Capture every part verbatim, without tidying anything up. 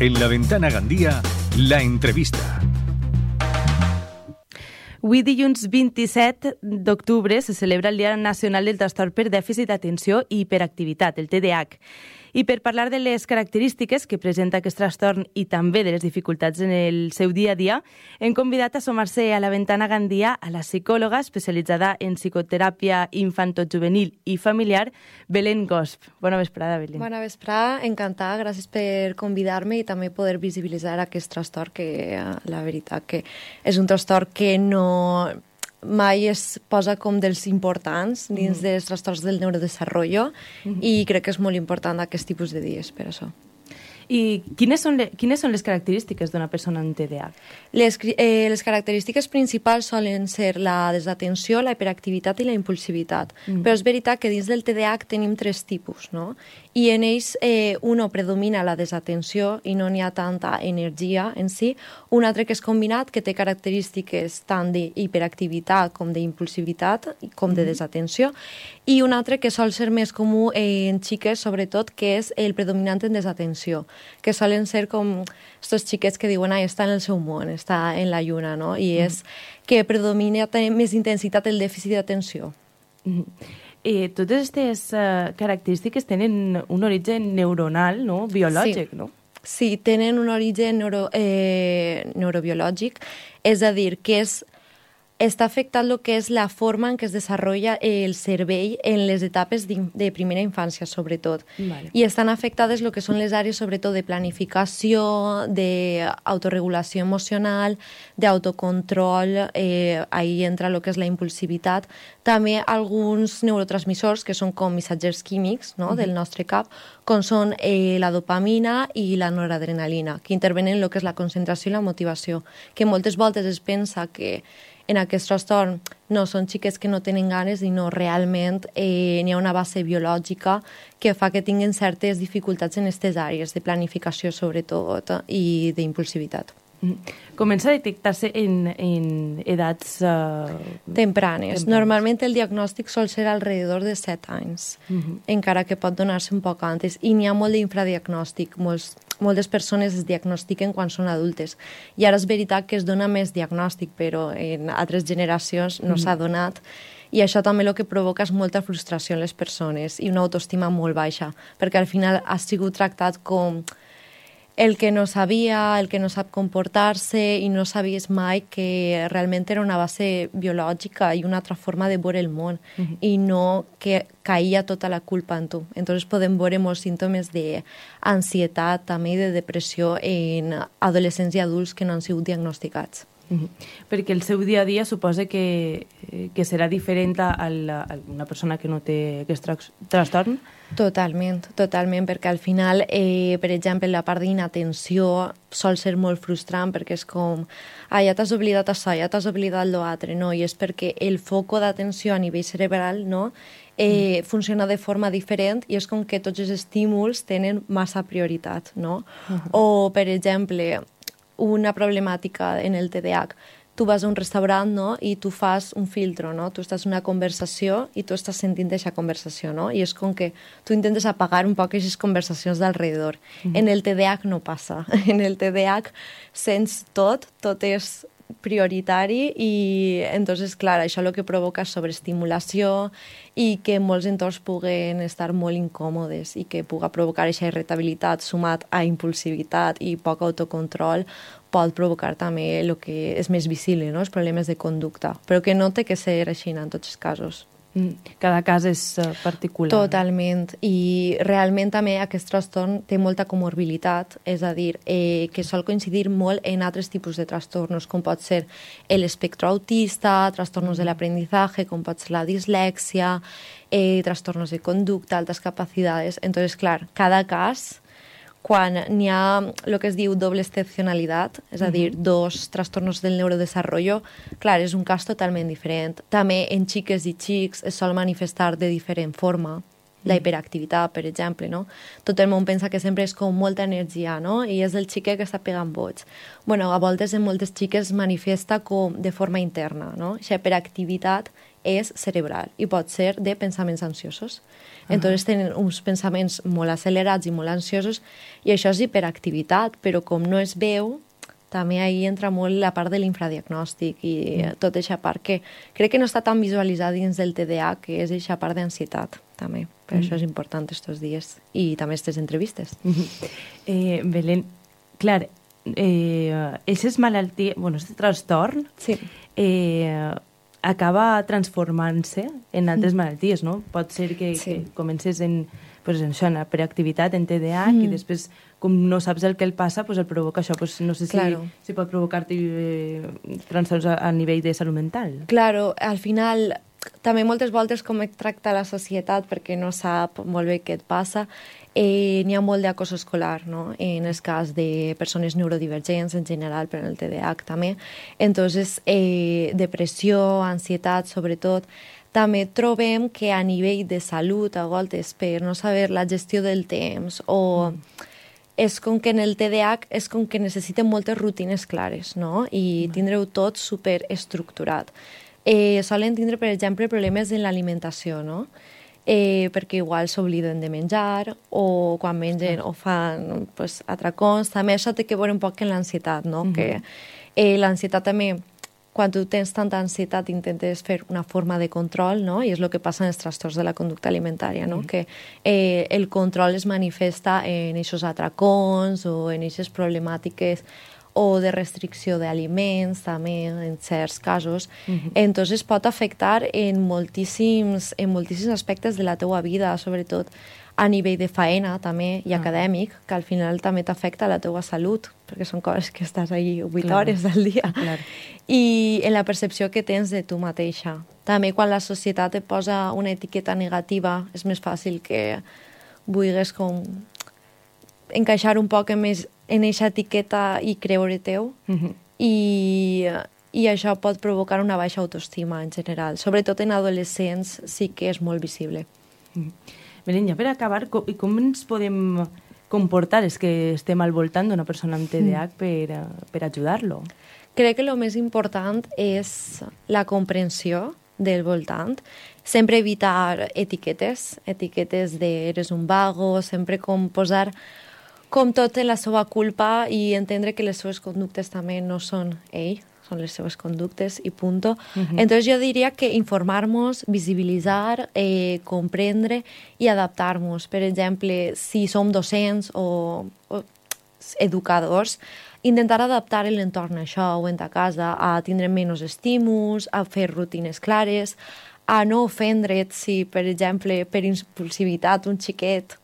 En La Ventana Gandía, la entrevista. Avui, dilluns vint-i-set d'octubre, se celebra el Dia Nacional del Trastorn per Dèficit d'Atenció i Hiperactivitat, el T D A H. I per parlar de les característiques que presenta aquest trastorn i també de les dificultats en el seu dia a dia, hem convidat a sumar-se a La Ventana Gandía a la psicòloga especialitzada en psicoteràpia infantojuvenil i familiar, Belén Gosp. Bona vesprada, Belén. Bona vesprada, encantada, gràcies per convidar-me i també poder visibilitzar aquest trastorn que, la veritat, que és un trastorn que no mai es posa com dels importants dins mm. dels trastorns del neurodesenvolupament mm. i crec que és molt important aquest tipus de dies per això. I quines són, le, quines són les característiques d'una persona amb T D A H? Les, eh, les característiques principals solen ser la desatenció, la hiperactivitat i la impulsivitat. Mm. Però és veritat que dins del T D A H tenim tres tipus, no? I en ells eh, uno predomina la desatenció i no n'hi ha tanta energia en si. Un altre que és combinat, que té característiques tant d'hiperactivitat com d'impulsivitat, com de desatenció. I un altre que sol ser més comú en xiques, sobretot, que és el predominant en desatenció, que solen ser com estos xiquets que diuen ai, està en el seu món, està en la lluna, no? I és que predomina més intensitat el dèficit d'atenció. Mm. Eh, totes aquestes uh, característiques tenen un origen neuronal, no? Biològic, sí. no? Sí, tenen un origen neuro, eh, neurobiològic, és a dir, que és està afectant el que és la forma en què es desenvolupa el cervell en les etapes de, de primera infància, sobretot. Vale. I estan afectades el que són les àrees, sobretot, de planificació, d'autoregulació emocional, d'autocontrol, eh, ahí entra el que és la impulsivitat. També alguns neurotransmissors, que són com missatgers químics, no?, uh-huh. del nostre cap, com són eh, la dopamina i la noradrenalina, que intervenen en el que és la concentració i la motivació, que moltes voltes es pensa que en aquest trastorn no són xiques que no tenen ganes i no, realment eh, n'hi ha una base biològica que fa que tinguin certes dificultats en aquestes àrees de planificació sobretot i d'impulsivitat. Comença a detectar-se en, en edats... Uh, tempranes. tempranes. Normalment el diagnòstic sol ser alrededor de set anys, uh -huh. encara que pot donar-se un poc antes. I n'hi ha molt d'infradiagnòstic. Molts, moltes persones es diagnostiquen quan són adultes. I ara és veritat que es dona més diagnòstic, però en altres generacions no uh -huh. s'ha donat. I això també el que provoca és molta frustració en les persones i una autoestima molt baixa, perquè al final ha sigut tractat com el que no sabia, el que no sap comportar-se i no sabies mai que realment era una base biològica i una altra forma de veure el món uh-huh. i no que caïa tota la culpa en tu. Entonces podem veure molts símptomes d'ansietat també i de depressió en adolescents i adults que no han sigut diagnosticats. Uh-huh. Perquè el seu dia a dia suposa que, que serà diferent a, la, a una persona que no té aquest trastorn? Totalment, totalment, perquè al final, eh, per exemple, la part d'inatenció sol ser molt frustrant perquè és com, ah, ja t'has oblidat això, ja t'has oblidat l'altre, no? I és perquè el foco d'atenció a nivell cerebral, no?, eh, mm. funciona de forma diferent i és com que tots els estímuls tenen massa prioritat, no? Uh-huh. O, per exemple, una problemàtica en el T D A H, tu vas a un restaurant, no?, i tu fas un filtro, no? Tu estàs en una conversació i tu estàs sentint aquesta conversació, no? I és com que tu intentes apagar un poc aquestes conversacions d'alrededor. Mm-hmm. En el T D A H no passa. En el T D A H sents tot, tot és prioritari i, entonces, clar, això el que provoca és sobreestimulació i que molts entorns puguen estar molt incòmodes i que puga provocar aquesta irritabilitat sumat a impulsivitat i poc autocontrol pot provocar també el que és més visible, no?, els problemes de conducta, però que no té que ser així en tots els casos. Cada cas és particular. Totalment. I realment també aquest trastorn té molta comorbilitat, és a dir, eh, que sol coincidir molt en altres tipus de trastornos, com pot ser l'espectro autista, trastornos de l'aprendizaje, com pot ser la dislèxia, eh, trastornos de conducta, altas capacidades. Entonces, clar, cada cas, quan n'hi ha el que es diu doble excepcionalitat, és a dir, dos trastornos del neurodesenvolupament, clar, és un cas totalment diferent. També en xiques i xics es sol manifestar de diferent forma. La hiperactivitat, per exemple, no? Tot el món pensa que sempre és com molta energia, no? I és el xiquet que està pegant boig. Bueno, a voltes en moltes xiques es manifesta com de forma interna, no? Aquesta hiperactivitat és cerebral i pot ser de pensaments ansiosos. Entonces tenen uns pensaments molt accelerats i molt ansiosos i això és hiperactivitat, però com no es veu, també ahí entra molt la part de l'infradiagnòstic i mm. tota aquesta part que crec que no està tan visualitzada dins del T D A, que és aquesta part d'ansietat, també. Per mm. això és important estos dies i també aquestes entrevistes. Mm-hmm. Eh, Belén, clar, eh, aquestes malalties, bueno, aquest trastorn sí. eh, acaba transformant-se en altres mm. malalties, no? Pot ser que, sí. que comences en, pues, en això, en la preactivitat, en T D A, mm. i després, com no saps el que el passa, pues el provoca això. Pues no sé si, claro. si pot provocar eh, trastorns a, a nivell de salut mental. Claro, al final també moltes voltes com et tracta la societat perquè no sap molt bé què et passa. Eh, n'hi ha molt d'acoso escolar, no? En el cas de persones neurodivergents en general, però en el T D A H també. Entonces, eh, depressió, ansietat, sobretot. També trobem que a nivell de salut, a voltes, per no saber la gestió del temps o... Mm. és com que en el T D A H és com que necessitem moltes rutines clares, no? I tindreu tot superestructurat. Eh, solen tindre, per exemple, problemes en l'alimentació, no? Eh, perquè igual s'obliden de menjar o quan mengen o fan pues, atracons. També això té que veure un poc amb l'ansietat, no? Mm-hmm. Que eh, l'ansietat també, quan tu tens tanta ansietat, intentes fer una forma de control, no? I és el que passa en els trastorns de la conducta alimentària, no? Mm. Que eh, el control es manifesta en aquests atracons o en aquestes problemàtiques o de restricció d'aliments, també, en certs casos. Mm-hmm. Entonces pot afectar en moltíssims, en moltíssims aspectes de la teua vida, sobretot a nivell de faena també i ah. acadèmic, que al final també t'afecta la teua salut, perquè són coses que estàs allí vuit claro. hores al dia. Claro. I en la percepció que tens de tu mateixa. També quan la societat et posa una etiqueta negativa, és més fàcil que vulguis com encaixar un poc més en aquesta etiqueta i creure teu. Mm-hmm. I, I això pot provocar una baixa autoestima en general. Sobretot en adolescents sí que és molt visible. Mm-hmm. Belén, ja per acabar, com, com ens podem comportar els que estem al voltant d'una persona amb T D A H per, per ajudar-lo? Crec que el més important és la comprensió del voltant. Sempre evitar etiquetes, etiquetes de eres un vago, sempre com posar com tot en la seva culpa i entendre que les seves conductes també no són ell, són les seves conductes i punto. Uh-huh. Entonces jo diria que informar-nos, visibilitzar, eh, comprendre i adaptar-nos. Per exemple, si som docents o, o educadors, intentar adaptar l'entorn a això o en ta casa, a tindre menys estímuls, a fer rutines clares, a no ofendre't si, per exemple, per impulsivitat un xiquet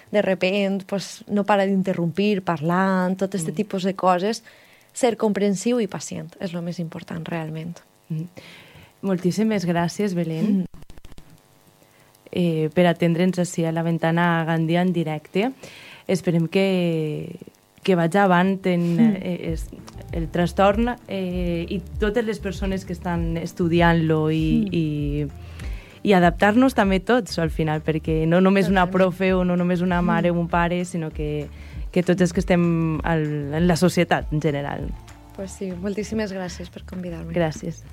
de repent pues, no para d'interrompir parlant, tot aquest mm. tipus de coses. Ser comprensiu i pacient és el més important, realment. Mm. Moltíssimes gràcies, Belén, mm. eh, per atendre'ns així a la Ventana Gandia en directe. Esperem que, que vagi avant en mm. eh, es, el trastorn eh, i totes les persones que estan estudiant-lo i, mm. i i adaptar-nos també tots, al final, perquè no només una profe o no només una mare o un pare, sinó que, que tots els que estem al, en la societat en general. Pues sí, moltíssimes gràcies per convidar-me. Gràcies.